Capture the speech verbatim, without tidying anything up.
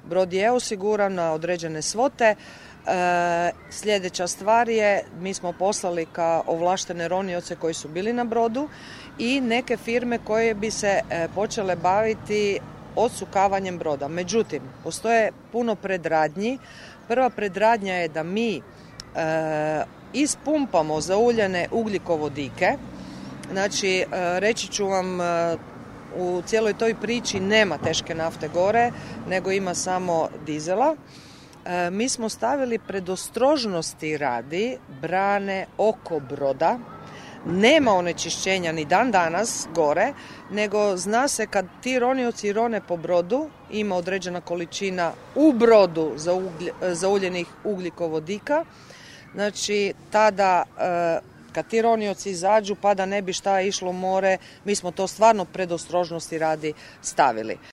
brod je osiguran na određene svote. E, sljedeća stvar je, mi smo poslali ka ovlaštene ronioce koji su bili na brodu i neke firme koje bi se e, počele baviti odsukavanjem broda. Međutim, postoje puno predradnji. Prva predradnja je da mi e, ispumpamo zauljene ugljikovodike. Znači, e, reći ću vam, e, u cijeloj toj priči nema teške nafte gore, nego ima samo dizela. E, mi smo stavili predostrožnosti radi brane oko broda. Nema onečišćenja ni dan danas gore, nego zna se kad ti ronioci rone po brodu, ima određena količina u brodu zauljenih ugljikovodika. Znači, tada kad ti ronioci izađu pa da ne bi šta išlo u more, mi smo to stvarno predostrožnosti radi stavili.